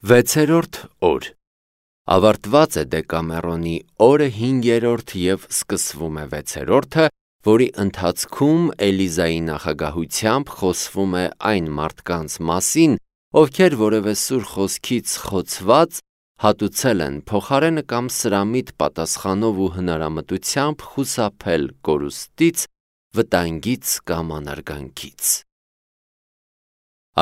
Վեցերորդ օր Ավարտված է Դեկամերոնի օրը 5-րդ և սկսվում է 6-րդը, որի ընթացքում Էլիզայի նախագահությամբ խոսվում է այն մարդկանց մասին, ովքեր որևէ սուր խոսքից խոցված հատուցել են փոխարենը կամ սրամիտ պատասխանով ու հնարամտությամբ խուսափել կորուստից, վտանգից կամ անարգանքից։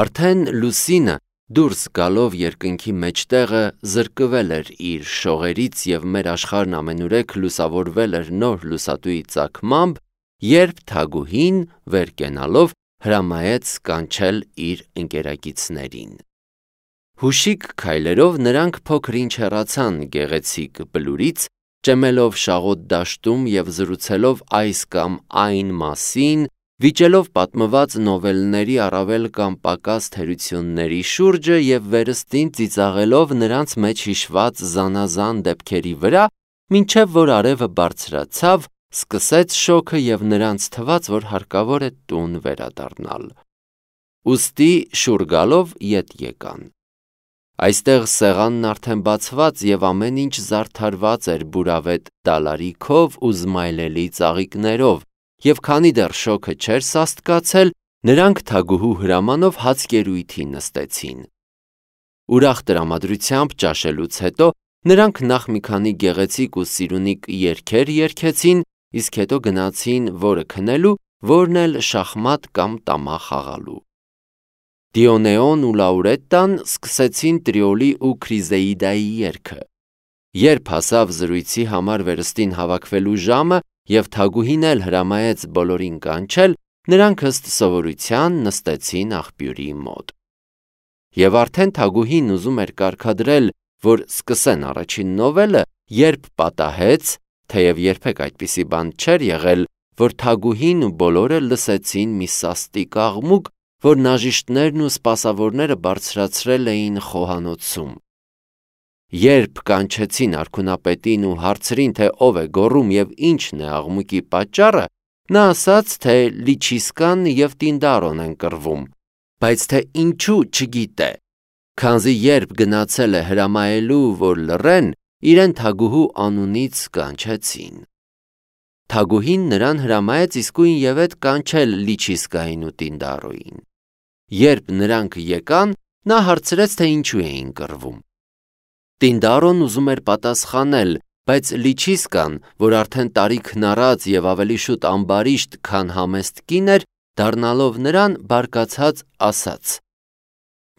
Արդեն լուսինը դուրս գալով երկնքի մեջտեղը զրկվել էր իր շողերից և մեր աշխարհն ամենուրեք լուսավորվել էր նոր լուսատուի ծագմամբ, երբ թագուհին վեր կենալով հրամայեց կանչել իր ընկերակիցներին։ Հուշիկ քայլերով նրանք փոքր-ինչ հեռացան գեղեցիկ բլուրից, ճեմելով շաղոտ դաշտում և զրուցելով այս կամ այն մասին, վիճելով պատմված նովելների առավել կամ պակաս թերությունների շուրջը և վերստին ծիծաղելով նրանց մեջ հիշված զանազան դեպքերի վրա, մինչև որ արևը բարձրացավ, սկսեց շոգը և նրանց թվաց, որ հարկավոր է տուն վերադառնալ։ Ուստի շուռ գալով ետ եկան։ Այստեղ սեղանն արդեն բացված և ամեն ինչ զարդարված էր բուրավետ դալարիքով ու զմայլելի ծաղիկներով, և քանի դեռ շոգը չէր սաստկացել, նրանք թագուհու հրամանով հացկերույթի նստեցին։ Ուրախ տրամադրությամբ ճաշելուց հետո նրանք նախ մի քանի գեղեցիկ ու սիրունիկ երգեր երգեցին, իսկ հետո գնացին որը քնելու, որն էլ շախմատ կամ տամա խաղալու։ Դիոնեոն ու Լաուրետտան սկսեցին Տրիոլի ու Քրիզեիդայի երգը։ Երբ հասավ զրույցի համար վերստին հավաքվելու ժամը և թագուհին էլ հրամայեց բոլորին կանչել, նրանք ըստ սովորության նստեցին աղբյուրի մոտ։ Եվ արդեն թագուհին ուզում էր կարգադրել, որ սկսեն առաջին նովելը, երբ պատահեց, թեև երբեք այդպիսի բան չէր եղել, որ թագուհին ու բոլորը լսեցին մի սաստիկ աղմուկ, որ նաժիշտներն ու սպասավորները բարձրացրել էին խոհանոցում։ Երբ կանչեցին արքունապետին ու հարցրին, թե ով է գոռում և ինչն է աղմուկի պատճառը, նա ասաց, թե Լիչիսկան և Տինդարոն են կռվում, բայց թե ինչու չգիտե, քանզի երբ գնացել է հրամայելու, որ լռեն, իրեն թագուհու անունից կանչեցին։ Թագուհին նրան հրամայեց իսկույնևեթ կանչել Լիչիսկային ու Տինդարոյին։ Երբ նրանք եկան, նա հարցրեց, թե ինչու էին կռվում։ Տինդարոն ուզում էր պատասխանել, բայց Լիչիսկան, որ արդեն տարիք հնառած և ավելի շուտ ամբարիշտ, քան համեստ կին էր, դառնալով նրան, բարկացած ասաց.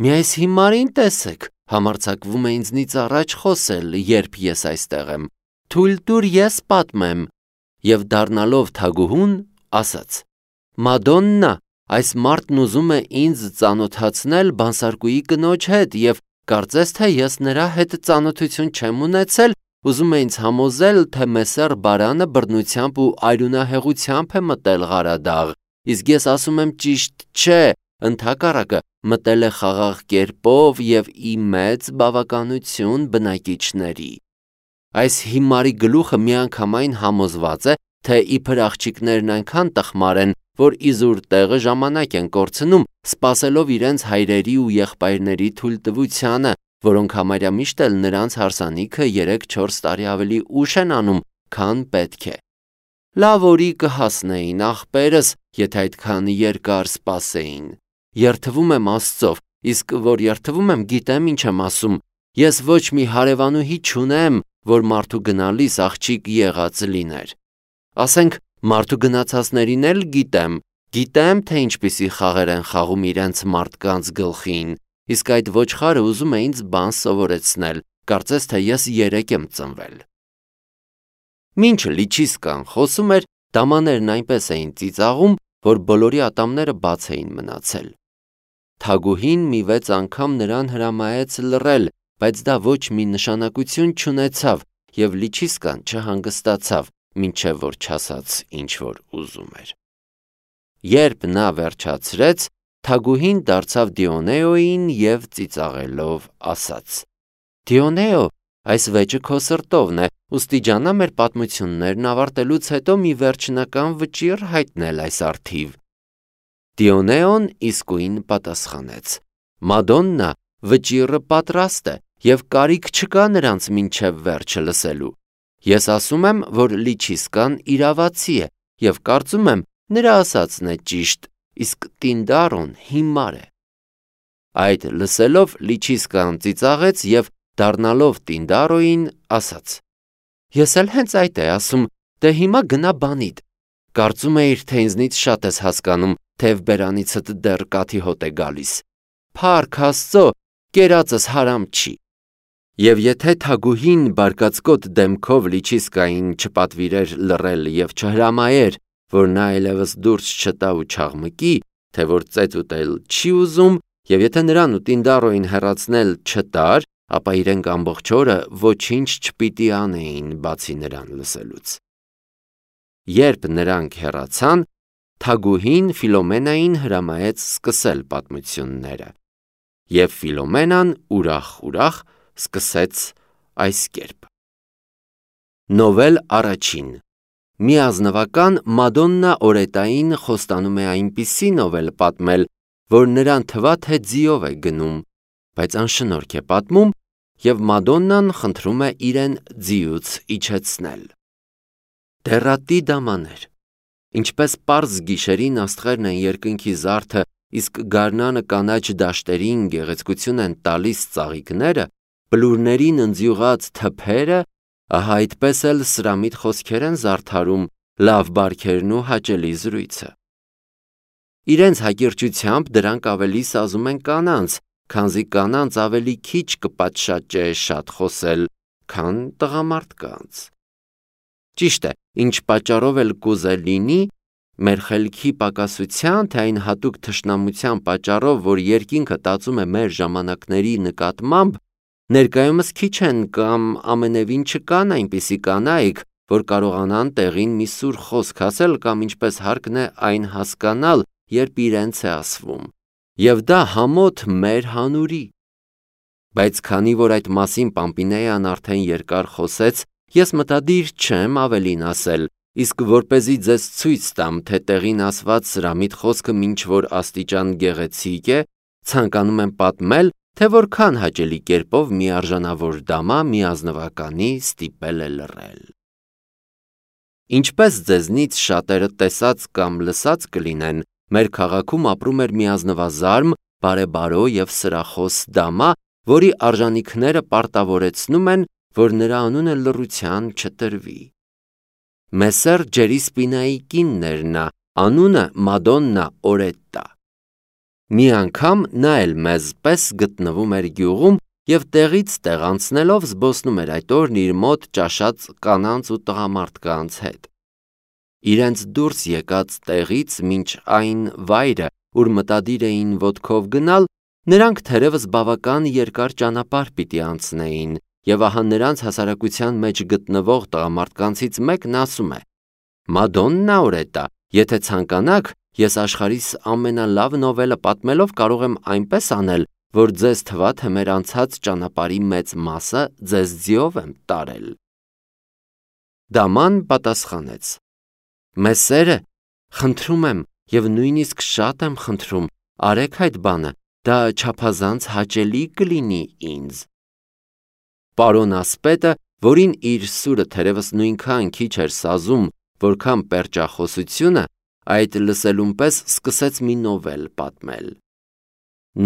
«Մի այս հիմարին տեսեք, համարձակվում է ինձնից առաջ խոսել, երբ ես այստեղ եմ, թույլ տուր ես պատմեմ», և դառնալով թագուհուն, ասաց. «Մադոննա, այս մարդն ուզում է ինձ ծանոթացնել բանսարկուի կնոջ հետ և կարծես թե ես նրա հետ ծանոթություն չեմ ունեցել, ուզում է ինձ համոզել, թե Մեսեր Բարանը բռնությամբ ու այրունահեղությամբ է մտել Ղարադաղ, իսկ ես ասում եմ ճիշտ չէ, ընդհակառակը մտել է խաղաղ կերպով և ի մեծ բավականություն բնակիչների։ Այս հիմարի գլուխը միանգամայն համոզված է, թե իբր աղջիկներն այնքան տխմար են, որ իզուր տեղը ժամանակ են կորցնում, սպասելով իրենց հայրերի ու եղբայրների թույլտվությանը, որոնք համարյա միշտ էլ նրանց հարսանիքը 3-4 տարի ավելի ուշ են անում, քան պետք է։ Լավ օրի կհասնեին ախպերս, եթե այդքան երկար սպասեին։ Երդվում եմ Աստծով, իսկ որ երդվում եմ, գիտեմ ինչ եմ ասում, ես ոչ մի հարևանուհի չունեմ, որ մարդու գնալիս աղջիկ եղած լիներ։ Ասենք, մարդու գնացածներին էլ գիտեմ, թե ինչպիսի խաղեր են խաղում իրենց մարդկանց գլխին, իսկ այդ ոչխարը ուզում է ինձ բան սովորեցնել, կարծես թե ես 3 եմ ծնվել։ Մինչ Լիչիսկան խոսում էր, դամաներն այնպես էին ծիծաղում, որ բոլորի ատամները բաց էին մնացել։ Թագուհին մի 6 անգամ նրան հրամայեց լռել, բայց դա ոչ մի նշանակություն չունեցավ, և Լիչիսկան չհանգստացավ, մինչև որ չասաց ինչ որ ուզում էր։ Երբ նա վերջացրեց, թագուհին դարձավ Դիոնեոյին և ծիծաղելով ասաց. «Դիոնեո, այս վեճը քո սրտովն է, ուստի ջանա մեր պատմություններն ավարտելուց հետո մի վերջնական վճիռ հայտնել այս առթիվ»։ Դիոնեոն իսկույն պատասխանեց. «Մադոննա, վճիռը պատրաստ է և կարիք չկա նրանց մինչև վերջը լսելու։ Ես ասում եմ, որ Լիչիսկան իրավացի է և կարծում եմ նրա ասածն է ճիշտ, իսկ Տինդարոն հիմար է։ Այդ լսելով Լիչիսկան ծիծաղեց և դառնալով Տինդարոյին ասաց. Ես էլ հենց այդ է ասում, դե հիմա գնա բանիդ։ Կարծում էիր, թե ինձնից շատ ես հասկանում, թեև բերանիցդ դեռ կաթի հոտ է գալիս։ Փառք Աստծո, կերածս հարամ չի։ Եվ եթե թագուհին բարկացկոտ դեմքով Լիչիսկային չպատվիրեր լռել և չհրամայեր, որ նա այլևս դուրս չտա ու չաղմկի, թե որ ծեծ ուտել չի ուզում, և եթե նրան ու Տինդարոյին հեռացնել չտար, ապա իրենք ամբողջ օրը ոչինչ չպիտի անեին, բացի նրան լսելուց։ Երբ նրանք հեռացան, թագուհին Ֆիլոմենային հրամայեց սկսել պատմությունները, և Ֆիլոմենան ուրախ սկսեց այս կերպ. Նովել առաջին։ Միազնվական Մադոննա Օրետային խոստանում է այնպիսի նովել պատմել, որ նրան թվա, թե ձիով է գնում, բայց անշնորհք է պատմում, և Մադոննան խնդրում է իրեն ձիուց իջեցնել։ Դեռատի դամաներ։ Ինչպես պարզ գիշերին աստղերն են երկնքի զարդը, իսկ գարնանը կանաչ դաշտերին գեղեցկություն են տալիս ծաղիկները, բլուրներին ընձյուղած թփերը, ահա այդպես էլ սրամիտ խոսքեր են զարդարում լավ բարքերն ու հաճելի զրույցը։ Իրենց հակիրճությամբ դրանք ավելի սազում են կանանց, քանզի կանանց ավելի քիչ կպատշաճե շատ խոսել, քան տղամարդկանց։ Ճիշտ է, ինչ պատճառով էլ կուզե լինի, մեր խելքի պակասության, թե այն հատուկ թշնամության պատճառով, որ երկինքը տածում է մեր ժամանակների նկատմամբ, ներկայումս քիչ են կամ ամենևին չկան այնպիսի կանայք, որ կարողանան տեղին մի սուր խոսք ասել կամ ինչպես հարկն է այն հասկանալ, երբ իրենց է ասվում, և դա համոտ մեր հանուրի։ Բայց քանի որ այդ մասին Պամպինեան արդեն երկար խոսեց, ես մտադիր չեմ ավելին ասել, իսկ որպեսզի ձեզ ցույց տամ, թե տեղին ասված սրամիտ խոսքը ինչ որ աստիճան գեղեցիկ է, ցանկանում եմ պատմել, թե որքան հաճելի կերպով մի արժանավոր դամա միազնվականի ստիպել է լռել։ Ինչպես ձեզնից շատերը տեսած կամ լսած կլինեն, մեր քաղաքում ապրում էր մի ազնվազարմ, բարեբարո և սրախոս դամա, որի արժանիքները պարտավորեցնում են, որ նրա անունը լռության չտրվի։ Մեսեր Ջերիսպինայի կինն էր նա, անունը Մադոննա Օրետտա։ Մի անգամ նա էլ մեզ պես գտնվում էր գյուղում և տեղից տեղ անցնելով զբոսնում էր այդ օրն իր մոտ ճաշած կանանց ու տղամարդկանց հետ։ Իրենց դուրս եկած տեղից մինչ այն վայրը, ուր մտադիր էին ոտքով գնալ, նրանք թերևս բավական երկար ճանապարհ պիտի անցնեին, և ահա նրանց հասարակության մեջ գտնվող տղամարդկանցից մեկն ասում է. Մադոննա Օրետտա, եթե ցանկանաք, ես աշխարհիս ամենալավ նովելը պատմելով կարող եմ այնպես անել, որ ձեզ թվա, թե մեր անցած ճանապարհի մեծ մասը ձեզ ձիով եմ տարել։ Դաման պատասխանեց. Մեսերը, խնդրում եմ և նույնիսկ շատ եմ խնդրում, արեք այդ բանը, դա չափազանց հաճելի կլինի ինձ։ Պարոն ասպետը, որին իր սուրը թերևս նույնքան քիչ էր սազում, որքան պերճախոսությունը, այդ լսելուն պես սկսեց մի նովել պատմել։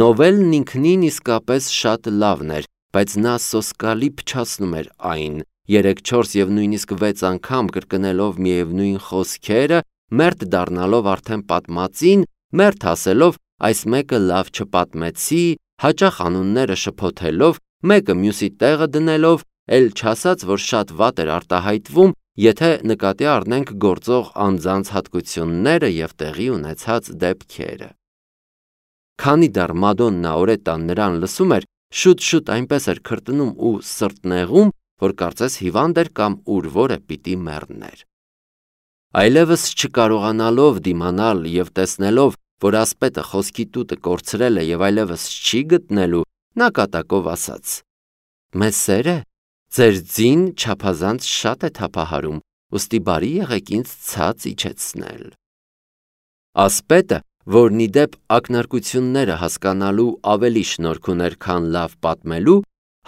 Նովելն ինքնին իսկապես շատ լավն էր, բայց նա սոսկալի փչացնում էր այն, 3-4 և նույնիսկ 6 անգամ կրկնելով միևնույն խոսքերը, մերթ դառնալով արդեն պատմածին, մերթ ասելով այս մեկը լավ չպատմեցի, հաճախ անունները շփոթելով, մեկը մյուսի տեղը դնելով, էլ չասած, որ շատ վատ էր արտահայտվում, եթե նկատի առնենք գործող անձանց հատկությունները և տեղի ունեցած դեպքերը։ Քանի դեռ Մադոննա Օրետտան նրան լսում էր, շուտ-շուտ այնպես էր քրտնում ու սրտնեղում, որ կարծես հիվանդ էր կամ ուր որը պիտի մեռներ։ Այլևս չկարողանալով դիմանալ և տեսնելով, որ ասպետը խոսքի տուտը կորցրել է և այլևս չի գտնելու, նա կատակով ասաց. Մեսերը, ձեր ձին չափազանց շատ է թափահարում, ուստի բարի եղեք ինձ ցած իջեցնել։ Ասպետը, որն ի դեպ ակնարկությունները հասկանալու ավելի շնորհք ուներ, քան լավ պատմելու,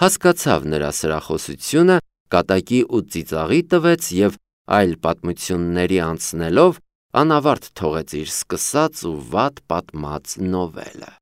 հասկացավ նրա սրախոսությունը, կատակի ու ծիծաղի տվեց և այլ պատմությունների անցնելով անավարտ թողեց իր սկսած ու վատ պատմած նովելը։